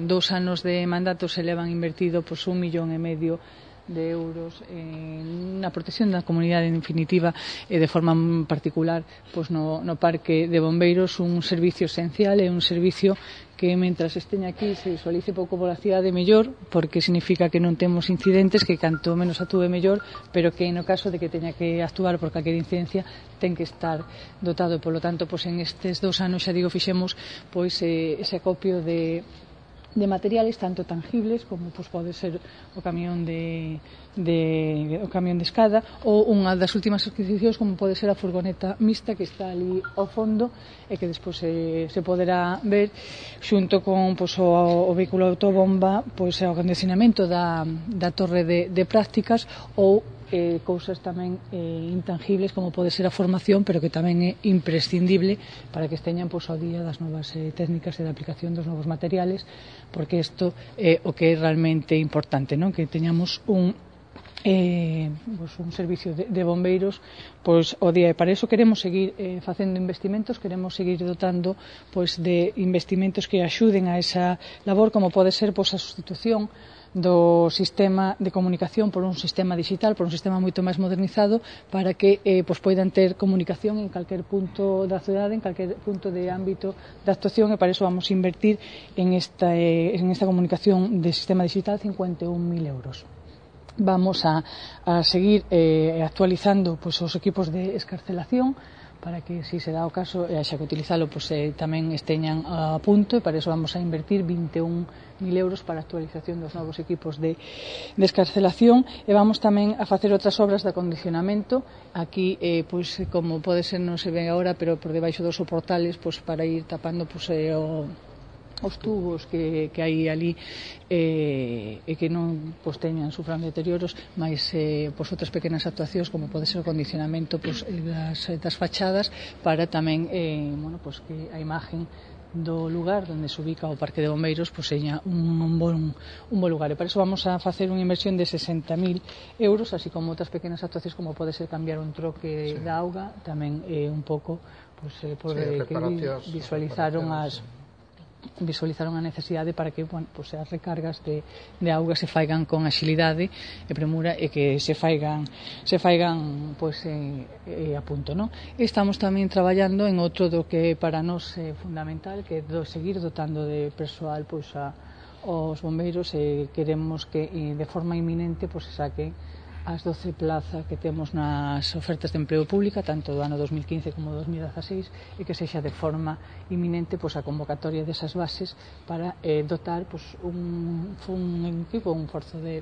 en 2 anos de mandato se levan invertido 1,5 millón de euros na protección da comunidade, en definitiva, de forma particular no Parque de Bombeiros, un servicio esencial e un servicio que mentras esteña aquí se visualice pouco pola cidade mellor, porque significa que non temos incidentes, que canto menos actúe mellor, pero que no caso de que teña que actuar por calquer incidencia ten que estar dotado, e polo tanto en estes 2 anos, xa digo, fixemos ese acopio de materiales tanto tangibles como pode ser o camión de escada, ou unha das últimas adquisicións como pode ser a furgoneta mixta que está ali ao fondo e que despois se poderá ver xunto con o vehículo autobomba, o acondicionamento da torre de prácticas, ou cousas tamén intangibles como pode ser a formación, pero que tamén é imprescindible para que esteñan ao día das novas técnicas e da aplicación dos novos materiales, porque isto é o que é realmente importante, non? Que teñamos un servicio de bombeiros ao día, e para iso queremos seguir facendo investimentos, queremos seguir dotando de investimentos que axuden a esa labor, como pode ser a sustitución do sistema de comunicación por un sistema digital, por un sistema moito máis modernizado, para que poidan ter comunicación en calquer punto da cidade, en calquer punto de ámbito de actuación, e para iso vamos a invertir en esta comunicación de sistema digital 51.000 euros. Vamos a seguir actualizando os equipos de excarcelación, para que, se dá o caso, xa que utilizalo, tamén esteñan a punto, e para iso vamos a invertir 21.000 euros para a actualización dos novos equipos de excarcelación, e vamos tamén a facer outras obras de acondicionamento aquí, como pode ser, non se ve agora, pero por debaixo dos soportales, para ir tapando os tubos que hai ali e que non sufran deterioros, máis outras pequenas actuacións como pode ser o condicionamento das fachadas, para tamén que a imagen do lugar onde se ubica o Parque de Bombeiros seña un bon lugar, e para iso vamos a facer unha inversión de 60.000 euros, así como outras pequenas actuacións como pode ser cambiar un troque da auga, tamén un pouco que visualizaron a necesidade para que as recargas de auga se faigan con axilidade e premura, e que se faigan a punto, non? Estamos tamén traballando en outro do que para nós é fundamental, que é seguir dotando de persoal aos bombeiros, e queremos que de forma inminente se saquen as 12 plazas que temos nas ofertas de emprego pública, tanto do ano 2015 como do 2016, e que sexa de forma inminente a convocatoria desas bases para dotar un equipo, un forzo de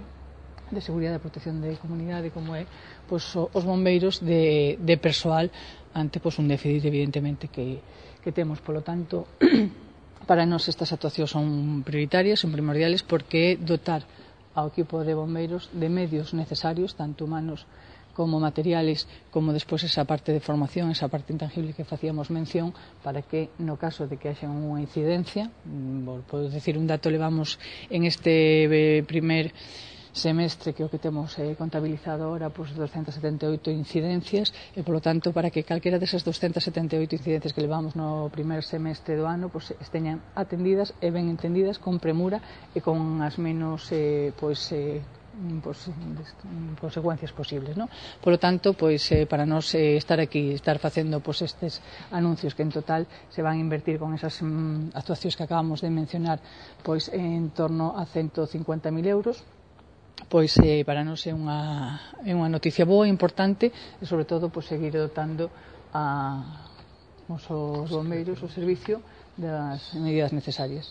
seguridade e protección de comunidade como é os bombeiros de persoal ante un déficit evidentemente que temos. Polo tanto, para nós estas actuacións son prioritarias, son primordiales, porque dotar ao equipo de bombeiros de medios necesarios, tanto humanos como materiales, como despois esa parte de formación, esa parte intangible que facíamos mención, para que no caso de que haxa unha incidencia, podo dicir un dato, levamos en este primer semestre, que é o que temos contabilizado agora, 278 incidencias, e polo tanto para que calquera desas 278 incidencias que levamos no primer semestre do ano esteñan atendidas e ben entendidas, con premura e con as menos consecuencias posibles, non? Polo tanto, para nós estar aquí, estar facendo estes anuncios, que en total se van a invertir con esas actuacións que acabamos de mencionar en torno a 150.000 euros, para nós é unha noticia boa, importante, e sobre todo seguir dotando os bombeiros, o servicio, das medidas necesarias.